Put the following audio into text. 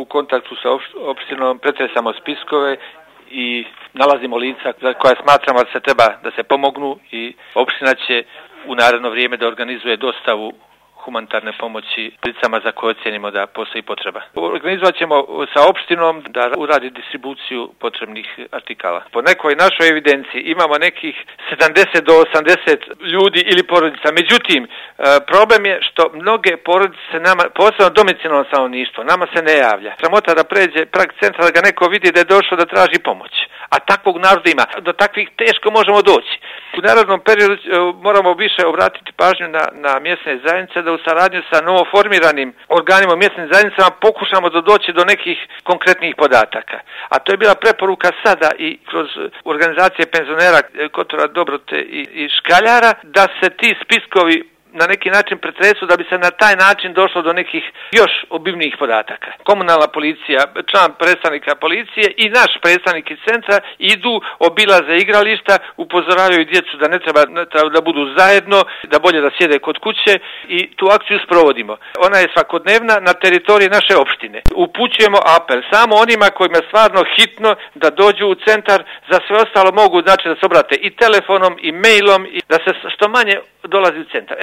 kontaktu sa opštinom, pretresamo spiskove i nalazimo lica za koja smatramo da se treba da se pomognu i opština će u naredno vrijeme da organizuje dostavu humanitarne pomoći licama za koje ocjenimo da postoji potreba. Organizovat ćemo sa opštinom da uradi distribuciju potrebnih artikala. Po nekoj našoj evidenciji imamo nekih 70 do 80 ljudi ili porodica. Međutim, problem je što mnoge porodice nama, posebno domicilno stanovništvo, nama se ne javlja. Sramota da pređe prag centra da ga neko vidi da je došao da traži pomoć. A takvog naroda ima. Do takvih teško možemo doći. U narodnom periodu moramo više obratiti pažnju na mjesne zajednice, da u saradnju sa novoformiranim organima mjesnim zajednicama pokušamo da doći do nekih konkretnih podataka. A to je bila preporuka sada i kroz organizacije penzionera Kotora, Dobrote i Škaljara, da se ti spiskovi na neki način pretresu da bi se na taj način došlo do nekih još obimnijih podataka. Komunalna policija, član predstavnika policije i naš predstavnik iz centra idu, obilaze igrališta, upozoravaju djecu da ne treba da budu zajedno, da bolje da sjede kod kuće i tu akciju sprovodimo. Ona je svakodnevna na teritoriji naše opštine. Upućujemo apel samo onima kojima je stvarno hitno da dođu u centar, za sve ostalo mogu znači da se obrate i telefonom i mailom i da se što manje dolazi u centar.